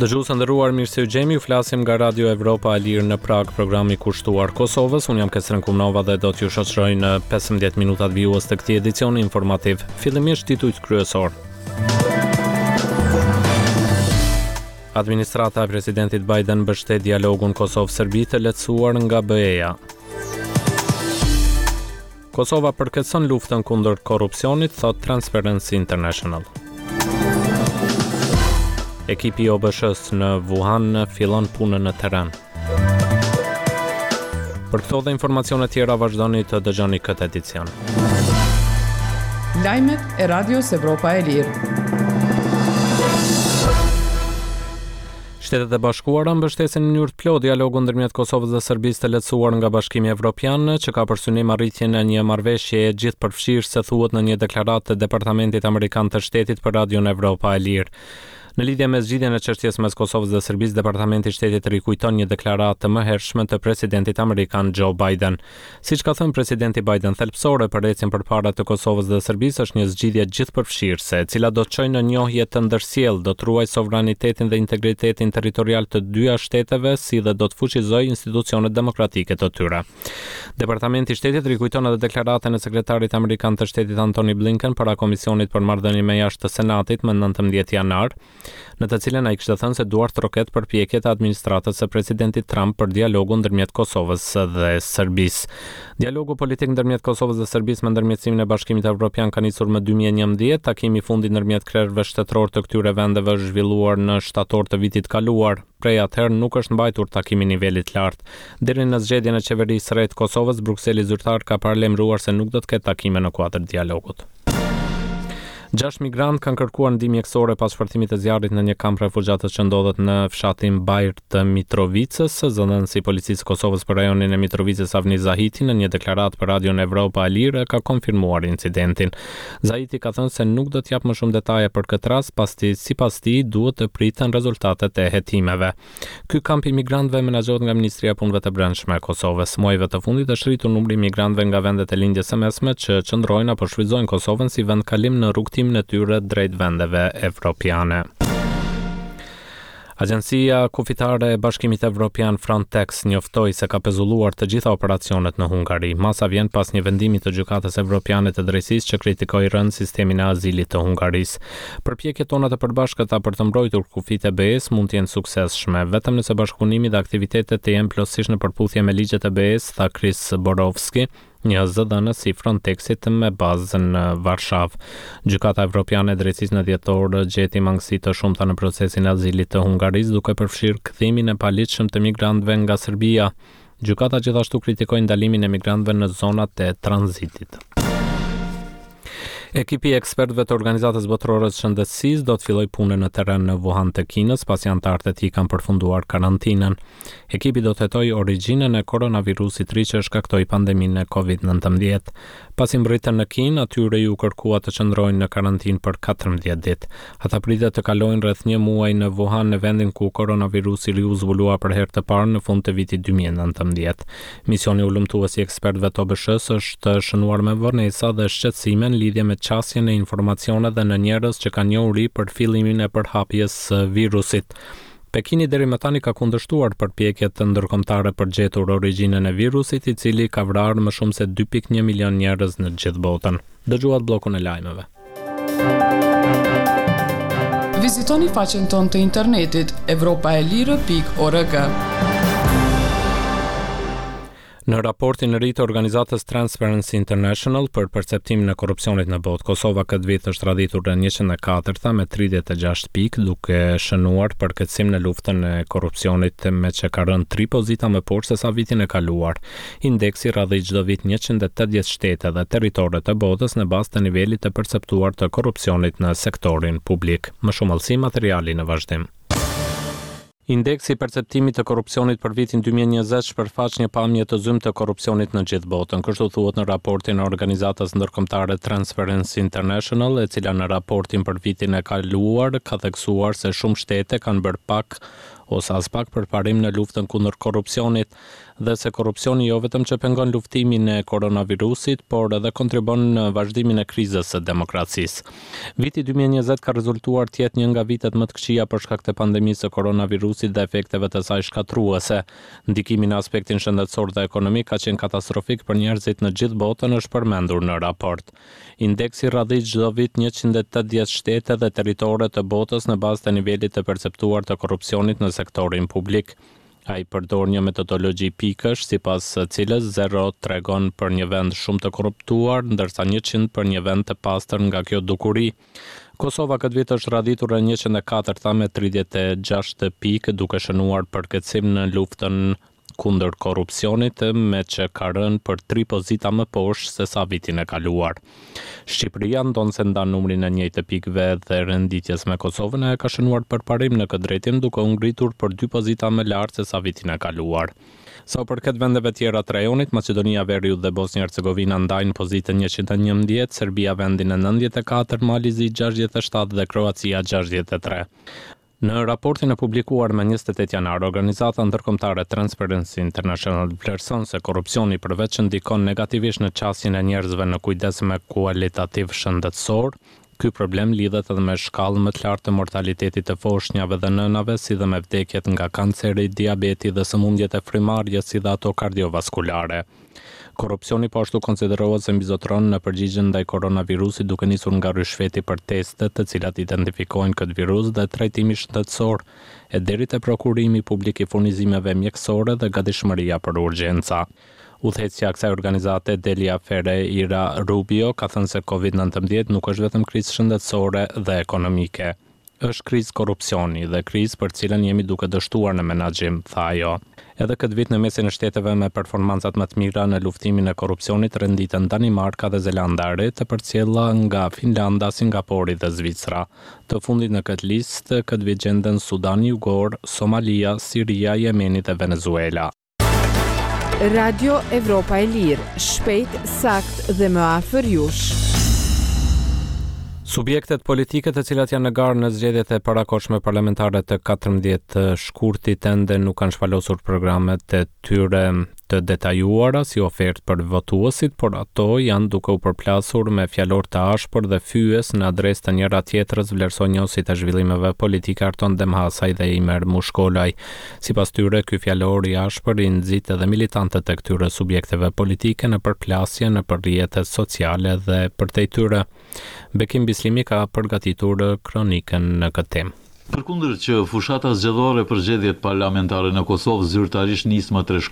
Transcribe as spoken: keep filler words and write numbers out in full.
Dëgjues të nderuar, mirë se ju gjemi. Ju flasim nga Radio Evropa e Lirë në Prag, programi kushtuar Kosovës. Unë jam Kesren Kumnova dhe do t'ju shoqëroj në pesëmbëdhjetë minutat vijues të këtij edicioni informativ. Fillimisht titujt kryesor. Administrata e presidentit Biden mbështet dialogun Kosovë-Serbi të lehtësuar nga B E-ja. Kosova përkeqëson luftën kundër korrupsionit, thot Transparency International. Ekipi i O B Sh-së në Wuhan fillon punën në terren. Për këto dhe informacione tjera vazhdoni të dëgjoni këtë edicion. Lajmet e Radios Evropa e Lirë. Shtetet e Bashkuara mbështesin në mënyrë të plotë dialogun ndërmjet Kosovës dhe Serbisë të lehtësuar nga Bashkimi Evropian, që ka për synim arritjen e një marrëveshjeje gjithëpërfshirëse, thuhet në një deklaratë të Departamentit Amerikan të Shtetit për Radion Evropa e Lirë. Në lidhje me zgjidhjen e çështjes mes Kosovës dhe Serbisë, Departamenti i Shtetit rikujton një deklaratë të mëhershme të presidentit amerikan Joe Biden. Siç ka thënë presidenti Biden, thelbësore për ecjen përpara të Kosovës dhe Serbisë është një zgjidhje gjithëpërfshirëse, e cila do të çojë në njohje të ndërsjellë, do të ruajë sovranitetin dhe integritetin territorial të dyja shteteve, si dhe do të fuqizojë institucionet demokratike të tyre. Departamenti i Shtetit rikujton edhe deklaratën e sekretarit amerikan të Shtetit Antony Blinken para Komisionit për Marrëdhënie me Jashtë të Senatit më nëntëmbëdhjetë janar, në të cilën ai kishte thënë se duart troket përpjekjet e administratës së presidentit Trump për dialogun ndërmjet Kosovës dhe Serbisë. Dialogu politik ndërmjet Kosovës dhe Serbisë me ndërmjetësimin e Bashkimit Evropian ka nisur më dy mijë e njëmbëdhjetë. Takimi i fundit ndërmjet krerëve shtetëror të këtyre vendeve është zhvilluar në shtator të vitit kaluar. Prej atëherë nuk është mbajtur takimi i nivelit të lartë. Deri në zgjedhjen e qeverisë së re të Kosovës, Brukseli zyrtar ka paralajmëruar se nuk do të ketë takime në kuadër të dialogut. Gjashtë migrantë kanë kërkuar ndihmë mjekësore pas shpërthimit të zjarrit në një kamp refugjatësh që ndodhet në fshatin Bajr të Mitrovicës. Zëdhënësi i Policisë së Kosovës për rajonin e Mitrovicës, Avni Zahiti, në një deklaratë për Radion Evropa e Lirë ka konfirmuar incidentin. Zahiti ka thënë se nuk do të jap më shumë detaje për këtë rast, pasi sipas tij duhet të priten rezultatet e hetimeve. Ky kamp i migrantëve menaxhohet nga Ministria e Punëve të Brendshme e Kosovës. Muajve të fundit është rritur numri i migrantëve nga vendet e Lindjes së Mesme që qëndrojnë apo shfrytëzojnë Kosovën si vend kalim në rrugëtimin e tyre drejt vendeve evropiane. Agjencia Kufitare e Bashkimit Evropian Frontex njoftoi se ka pezulluar të gjitha operacionet në Hungari. Masa vjen pas një vendimi të Gjykatës Evropiane të Drejtësisë që kritikoi rënd sistemin e azilit të Hungarisë. Përpjekjet tona të përbashkëta për të mbrojtur kufijtë e B E-s mund të jenë suksesshme, vetëm nëse bashkëpunimi dhe aktivitetet të jenë plotësisht në përputhje me ligjet e B E-s, tha Chris Borowski, një zëdhënës i Frontexit me bazë në Varshavë. Gjykata Evropiane e Drejtësisë në dhjetor gjeti mangësi të shumta në procesin e azilit të Hungarisë, duke përfshirë kthimin e paligjshëm të migrantëve nga Serbia. Gjykata gjithashtu kritikoi ndalimin e migrantëve në zonat e tranzitit. Ekipi i ekspertëve të Organizatës Botërore të Shëndetësisë do të fillojë punën në terren në Wuhan të Kinës, pasi anëtarët e tij kanë përfunduar karantinën. Ekipi do të hetojë origjinën e koronavirusit të ri që shkaktoi pandeminë e Covid nëntëmbëdhjetë. Pasi mbërritën në Kinë, atyre ju kërkua të qëndrojnë në karantinë për katërmbëdhjetë ditë. Ata pritet të kalojnë rreth një muaj në Wuhan, në vendin ku koronavirusi i ri u zbulua për herë të parë në fund të vitit dy mijë e nëntëmbëdhjetë. Misioni hulumtues i ekspertëve të O B Sh-së është shënuar me vonesa dhe shqetësime në lidhje me qasjen e informacioneve dhe në njerëz që kanë njohuri për fillimin e përhapjes së virusit. Pekini deri më tani ka kundërshtuar përpjekjet ndërkombëtare për gjetur origjinën e virusit, i cili ka vrarë më shumë se dy pikë një milion njerëz në gjithë botën. Dëgjuat bllokun e lajmeve. Vizitoni faqen tonë të internetit evropa e lirë pikë org. Në raportin e ri të organizatës Transparency International për perceptimin e korrupsionit në botë, Kosova këtë vit është radhitur në njëqind e katërta me tridhjetë e gjashtë pikë, duke shënuar përkeqësim në luftën e korrupsionit, me që ka rënë tri pozita më poshtë se sa vitin e kaluar. Indeksi radhit çdo vit njëqind e tetëdhjetë shtete dhe territore të botës në bazë të nivelit të perceptuar të korrupsionit në sektorin publik. Më shumë hollësi materiali në vazhdim. Indeksi i perceptimit të korrupsionit për vitin dy mijë e njëzet shpërfaq një pamje të zymtë të korrupsionit në gjithë botën. Kështu thuhet në raportin e organizatës ndërkombëtare Transparency International, e cila në raportin për vitin e kaluar ka theksuar se shumë shtete kanë bërë pak ose aspak përparim në luftën kundër korrupsionit dhe se korrupsioni jo vetëm që pengon luftimin e koronavirusit, por edhe kontribon në vazhdimin e krizës së demokracisë. Viti dy mijë e njëzet ka rezultuar të jetë një nga vitet më të këqija për shkak të pandemisë së koronavirusit dhe efekteve të saj shkatërruese. Ndikimi në aspektin shëndetësor dhe ekonomik ka qenë katastrofik për njerëzit në gjithë botën, është përmendur në raport. Indeksi radhit çdo vit njëqind e tetëdhjetë shtete dhe territore të botës në bazë të nivelit të perceptuar të korrupsionit në sektorin publik. Ai përdor një metodologji pikësh, sipas së cilës zero tregon për një vend shumë të korruptuar, ndërsa njëqind për një vend të pastër nga kjo dukuri. Kosova këtë vit është radhitur në njëqind e katërta me tridhjetë e gjashtë pikë, duke shënuar përkeqësim në luftën kundër korrupsionit, me që ka rënë për tri pozita më poshtë se sa vitin e kaluar. Shqipëria, ndonëse ndan numrin e njëjtë të pikëve dhe renditjes me Kosovën, e ka shënuar përparim në këtë drejtim, duke u ngritur për dy pozita më lart se sa vitin e kaluar. Sa u përket vendeve tjera të rajonit, Maqedonia Veriut dhe Bosnja Hercegovina ndajnë pozitën njëqind e njëmbëdhjetë, Serbia vendin e nëntëdhjetë e katër, Mali Zi gjashtëdhjetë e shtatë dhe Kroacia gjashtëdhjetë e tre. Në raportin e publikuar më njëzet e tetë janar, organizata ndërkombëtare Transparency International vlerëson se korrupsioni, përveç që ndikon negativisht në qasjen e njerëzve në kujdes me kualitativ shëndetësor, ky problem lidhet edhe me shkallë më të lartë të mortalitetit të foshnjave dhe nënave, si dhe me vdekjet nga kanceri, diabeti dhe sëmundjet e frymarrjes, si dhe ato kardiovaskulare. Korrupsioni po ashtu konsiderohet se mbizotëron në përgjigjen ndaj koronavirusit, duke nisur nga ryshfeti për testet të cilat identifikojnë këtë virus dhe trajtimi shëndetësor, e deri te prokurimi publik i furnizimeve mjekësore dhe gatishmëria për urgjenca. Udhëheqësja e kësaj organizate, Delia Ferreira Rubio, ka thënë se Covid nëntëmbëdhjetë nuk është vetëm krizë shëndetësore dhe ekonomike. "Është krizë korrupsioni dhe krizë për cilën jemi duke dështuar në menaxhim", tha ajo. Edhe këtë vit, në mesin e shteteve me performancat më të mira në luftimin e korrupsionit renditen Danimarka dhe Zelanda e Re, të përcjella nga Finlanda, Singapori dhe Zvicra. Të fundit në këtë listë këtë vit gjenden Sudani Jugor, Somalia, Siria, Jemeni dhe Venezuela. Radio Evropa e Lirë, shpejt, sakt dhe më afër jush. Subjektet politike të cilat janë në garë në zgjedhjet e parakohshme parlamentare të katërmbëdhjetë shkurtit ende nuk kanë shpalosur programet e tyre të detajuara si ofertë për votuesit, por ato janë duke u përplasur me fjalor të ashpër dhe fyes në adresë të njëra tjetrës, vlerësojnë njohësit e zhvillimeve politike Arton Demhasaj dhe Imer Mushkolaj. Sipas tyre, ky fjalor i ashpër i nxit edhe militantët e këtyre subjekteve politike në përplasje në rrjetet sociale dhe përtej tyre. Bekim Bislimi ka përgatitur kronikën në këtë temë. Përkundër që fushata zgjedhore për zgjedhjet parlamentare në Kosovë zyrtarisht nis më tre shkurt,